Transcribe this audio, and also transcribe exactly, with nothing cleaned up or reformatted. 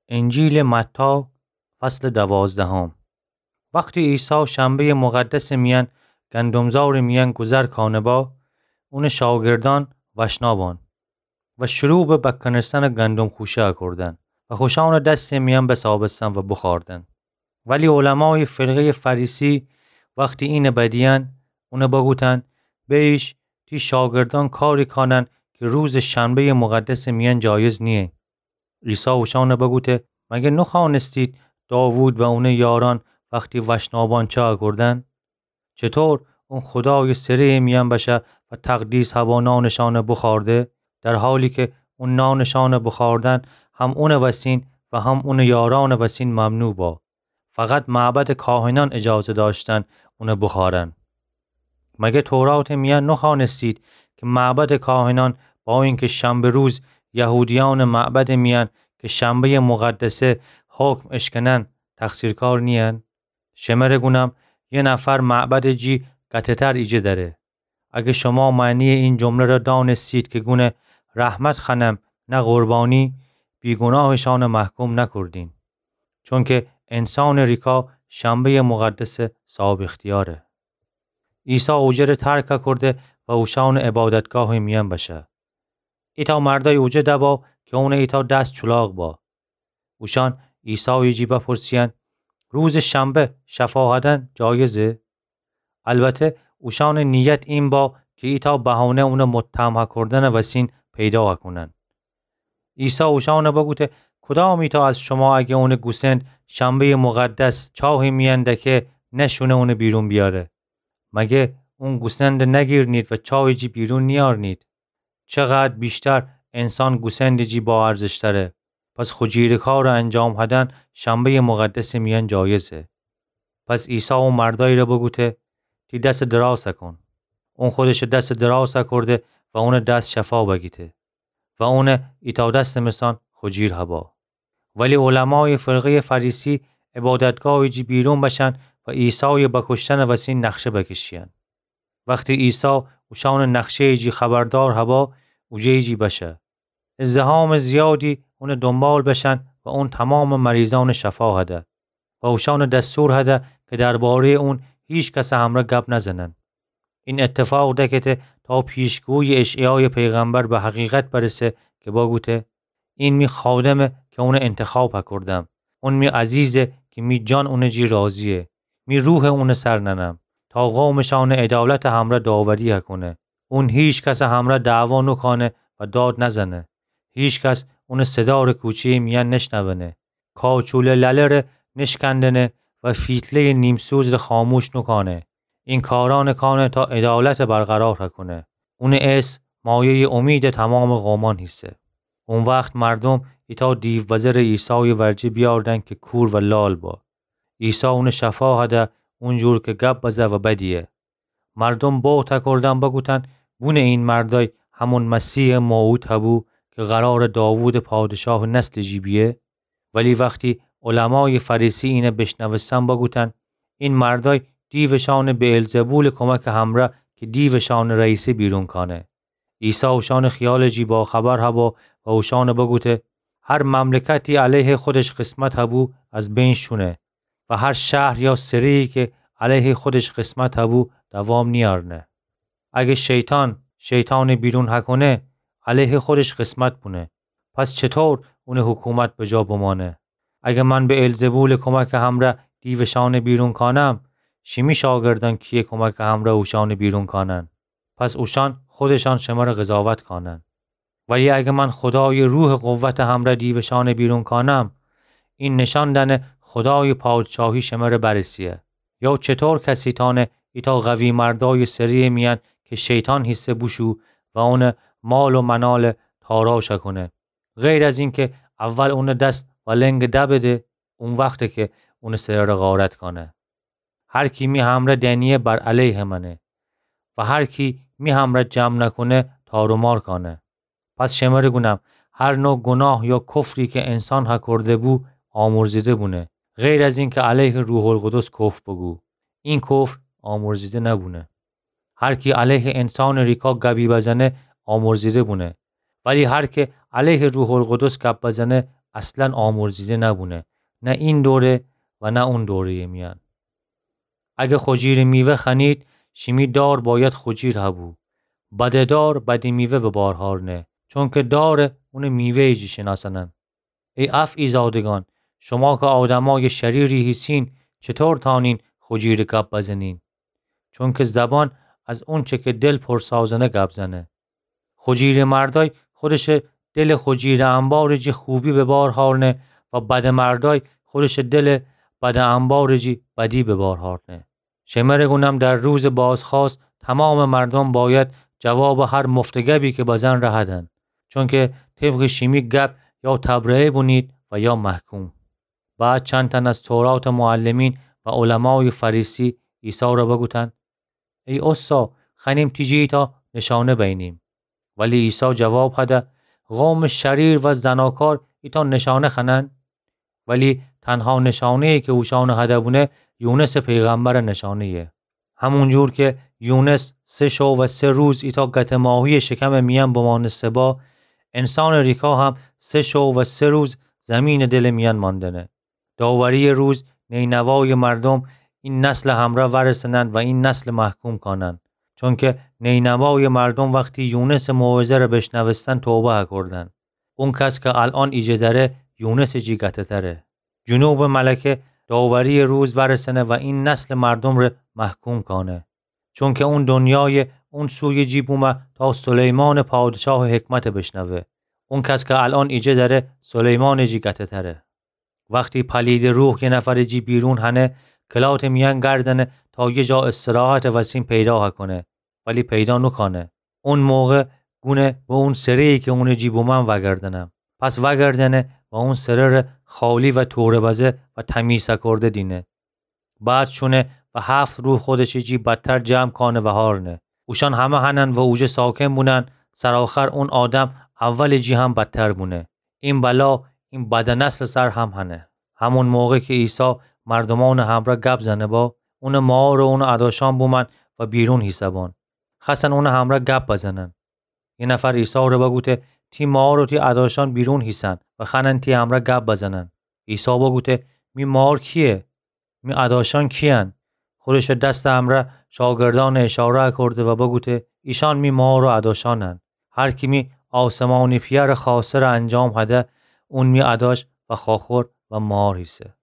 انجیلٚ متی، فصلٚ دوازدهم. وختی عیسی شنبه‌یٚ مقدسٚ میأن گندم‌زارٚ میأن گوذر کانه با، اونٚ شاگردأن وشنا بان و شروع به بکنستنٚ گندم خوشه کوردن و خوشأنٚ دستٚ میأن بسابستن و بوخوأردن. ولی علمایٚ فرقه‌یٚ فریسی وختی اینه بدیأن، اونه بگوتأن: بیش، تی شاگردأن کاری کانن کی روزٚ شنبه‌یٚ مقدسٚ میأن جایز نییه. عیسی اوشأنه بگوته: مگر نوخوأنستید داوود و اونٚ یارأن وختی وشنا بان چه کوردن؟ چطور اون خودایٚ سره‌یٚ میأن بشه و تقدیس هبا نانٚ شأنه بوخوأرده، در حالی کی اون نانٚ شأنه بوخوأردن هم اونٚ وسین و هم اونٚ یارأنٚ وسین ممنوع با؟ فقط معبدٚ کاهنأن اجازه دأشتن اونه بوخوأرن. مگر توراتٚ میأن نوخوأنستید کی معبدٚ کاهنأن با اینکی شنبه روز یهودیأنٚ معبدٚ میأن کی شنبه‌یٚ مقدسه حکم اشکنن، تقصیرکار نیین؟ شمره گونم، یه نفر معبدٚ جی گته‌تر ایجه دأره. اگر شما معنیٚ این جمله را دأنستید کی گونه: رحمت خوأنم، نه قربانی، بیگوناهٚ شأنه محکوم نکوردین. چونکی انسانٚ ریکا شنبه‌یٚ مقدسه صاحب اختیاره. عیسی اوجه ره ترک کورده و اوشأنٚ عبادتگاهٚ میأن بشه. ایتأ مردأی اوجه دبا کی اونٚ ایتأ دس چولاق با. اوشأن عیسایٚ جی بپرسیأن: روزٚ شنبه شفا هدن جایزه؟ البته اوشأنٚ نیت این با کی ایتأ بهانه اونه متهم کوردنٚ وسین پیدا کونن. عیسی اوشأنه بگوته: کدام ایتأ از شما اگه اونٚ گوسند شنبه‌یٚ مقدس چاهٚ میأن دکه، نشونه اونه بیرون بیاره؟ مگه اون گوسنده نگیرنید و چاهٚ جی بیرون نیارنید؟ چقدر بیشتر انسان گوسندٚ جی با ارزشتره. پس خو جیرٚ کارٚ انجام هدن شنبه‌یٚ مقدسٚ میأن جایزه. پس عیسی او مردأیی ره بگوته: تی دسٚ دراز کون. اون خودشٚ دسٚ دراز کورده و اونٚ دس شفا بگیته و اونه ایتأ دسٚ مثأن خو جیر هبا. ولی علمایٚ فرقه‌یٚ فریسی عبادتگاهٚ جی بیرون بشن و عیسایٚ بکشتنٚ وسین نقشه بکشیأن. وختی عیسی اوشأنٚ نقشه‌یٚ جی خبردار هبا، اوجه‌یٚ جی بشه. ازدحامٚ زیادی اونٚ دونبال بشن و اون تومامٚ مریضأنٚ شفا هده و اوشأنٚ دستور هده کی درباره‌یٚ اون هیکسٚ همرأ گب نزنن. این اتفاق دکته تا پیشگویی اشعیایٚ پیغمبر به حقیقت برسه کی بگوته: این می خادمه کی اونه انتخاب کوردم. اون می عزیزه کی می جان اونٚ جی راضیه. می روحه اونٚ سر ننم تا قومٚ شأنٚ عدالتٚ همرأ داوری کونه. اون هیکسٚ همرأ دعوا نوکانه و داد نزنه. هیکس اونٚ صدارٚ کوچه‌یٚ میأن نشنونه. کاچولٚ لله ره نشکندنه و فیتله‌یٚ نیمسوز ره خاموش نوکانه. این کارأنٚ کانه تا عدالت برقرار کونه. اونٚ اسم مایه‌یٚ امیدٚ تومامٚ قومأن هیسه. او وخت مردوم ایتأ دیوبزه‌ره عیسایٚ ورجه بیاردن کی کور و لال با. عیسی اونٚ شفا هده اونجور کی گب بزه و بدیه. مردوم بهت کوردن بگوتن: بونه این مردأی همون مسیحٚ موعود هبو کی قرارٚ داوودٚ پادشاهٚ نسلٚ جی بیه؟ ولی وختی علمایٚ فریسی اینه بیشنوستن بگوتن: این مردأی دیوٚ شأنه بعلزبولٚ کمکٚ همرأ کی دیوٚ شأنٚ رئیسه بیرون کانه. عیسی اوشأنٚ خیالٚ جی باخبر هبا و اوشأنه بگوته: هر مملکتی علیهٚ خودش قسمت هبو از بین شونه و هر شهر یا سره‌یی کی علیهٚ خودش قسمت هبو دوام نیأرنه. اگه شیطان شیطانٚ بیرون هکونه، علیهٚ خودش قسمت بونه. پس چطور اونٚ حکومت بجا بمانه؟ اگه من بعلزبولٚ کمکٚ همرأ دیوٚ شأنه بیرون کانم، شیمی شاگردأن کیه کمکٚ همرأ اوشأنه بیرون کانن؟ پس اوشأن خودشأن شمره قضاوت کانن. ولی اگه من خودایٚ روحٚ قوتٚ همرأ دیوٚ شأنه بیرون کانم، این نشأن دأنه خودایٚ پادشاهی شمره برسیه. یا چطور کسی تأنه ایتأ قوی مردایٚ سره‌یٚ میأن کی شیطان هیسه بوشو و اونٚ مال و منال تاراج کونه، غیر از اینکه اول اونٚ دس و لنگ دبده، او وخته کی اونٚ سره‌ره غارت کانه. هر کی می همرأ دنیه بر علیه منه و هر کی می همرأ جمع نکونه تار و مار کانه. پس شمره گونم، هر نوع گناه یا کفری کی انسان هکورده بو آمرزیده بونه، غیر از اینکه علیه روح‌القدس کفر بوگو. این کفر آمرزیده نبونه. هر کی علیه انسانٚ ریکا گبی بزنه آمرزیده بونه، ولی هر کی علیه روح‌القدس گب بزنه اصلاً آمرزیده نبونه، نه این دوره و نه اون دوره‌یٚ میأن. اگه خجیرٚ میوه خوأنید، شیمی دار بأید خجیر هبو. بدٚ دار بدی میوه به بار هارنه، چونکه دار اونٚ میوه‌یٚ جی شنأسأنن. ای افعی‌زادگان، شما که آدمأیٚ شریری هیسین، چطور تأنین خجیرٚ گب بزنین؟ چونکه زبان از اونچه که دل پر سازنه گب زنه. خجیرٚ مردأی خودشٚ دلٚ خجیرٚ انبارٚ جی خوبی به بار هارنه و بدٚ مردأی خودشٚ دلٚ بدٚ انبارٚ جی بدی به بار هارنه. شمره گونم در روزٚ بازخواست تمامٚ مردوم بأید جوابٚ هر مفته گبی که بزن ره هدن. چونکه طبقٚ شیمی گب یا تبرئه بونید و یا محکوم. بعد چند تن از توراتٚ معلمین و علمایٚ فریسی عیسی ره بوگوتن: ای اوستا، خوأنیم تی جی ایتأ نشانه بینیم. ولی عیسی جواب هده: قومٚ شریر و زناکار ایتأ نشانه خوأنن؟ ولی تنها نشانه‌یی که اوشأنٚ هده بونه، یونسٚ پیغمبرٚ نشانه‌یه. همون جور که یونس سه شو و سه روز ایتأ گتٚ ماهی‌یٚ شکمٚ میأن بمأنسته با، انسانٚ ریکا هم سه شو و سه روز زیمینٚ دلٚ میأن ماندنه. داوری‌یٚ روز نینوایٚ مردوم این نسلٚ همرأ وأرسنن و این نسل محکوم کانن. چونکه نینوایٚ مردوم وختی یونسٚ موعظه ره بیشنوستن توبه هکردن. اون کس که الأن ایجه دأره، یونسٚ جی گته‌تره. جنوبٚ ملکه داوری‌یٚ روز وأرسنه و این نسلٚ مردوم ره محکوم کانه. چونکه اون دنیایٚ اون سویٚ جی بومه تا سلیمانٚ پادشاهٚ حکمت بیشنوه. اون کس که الأن ایجه دأره، سلیمانٚ جی گته‌تره. وختی پلیدٚ روح یه نفرٚ جی بیرون هنه، کلاتٚ میأن گردنه تا یه جا استراحتٚ وسیم پیدا هکونه، ولی پیدا نوکانه. اون موقع گونه به اون سره‌یی که اونٚ جی بومأن وأگردنم. پس وأگردنه و اون سره ره خالی و توره بزه و تمیز هکرده دینه. بعد شونه و هفت روح خودشٚ جی بدتر جمع کانه و هارنه. اوشأن همه هنن و اوجه ساکن بونن، سرآخر اون آدم اولٚ جی هم بدتر بونه. این بلا این بدٚ نسلٚ سر هم هنه. همون موقع که عیسی مردومأنٚ همرأ گب زنه با، اونٚ مار و اونٚ اداشأن بومأن و بیرون هیسبأن. خوأستن اونٚ همرأ گب بزنن. یه نفر عیسی ره بوگوته: تی مار و تی اداشأن بیرون هیسن و خوأنن تی همرأ گب بزنن. عیسی بوگوته: می مار کییه؟ می اداشأن کییَن؟ خودشٚ دستٚ همرأ شاگردأن اشاره کرده و بوگوته: ایشأن می مار و اداشأنن. هر کی می آسمانی پئرٚ خوأسته ره انجام هده، اون می اداش و خواخور و مار هیسه.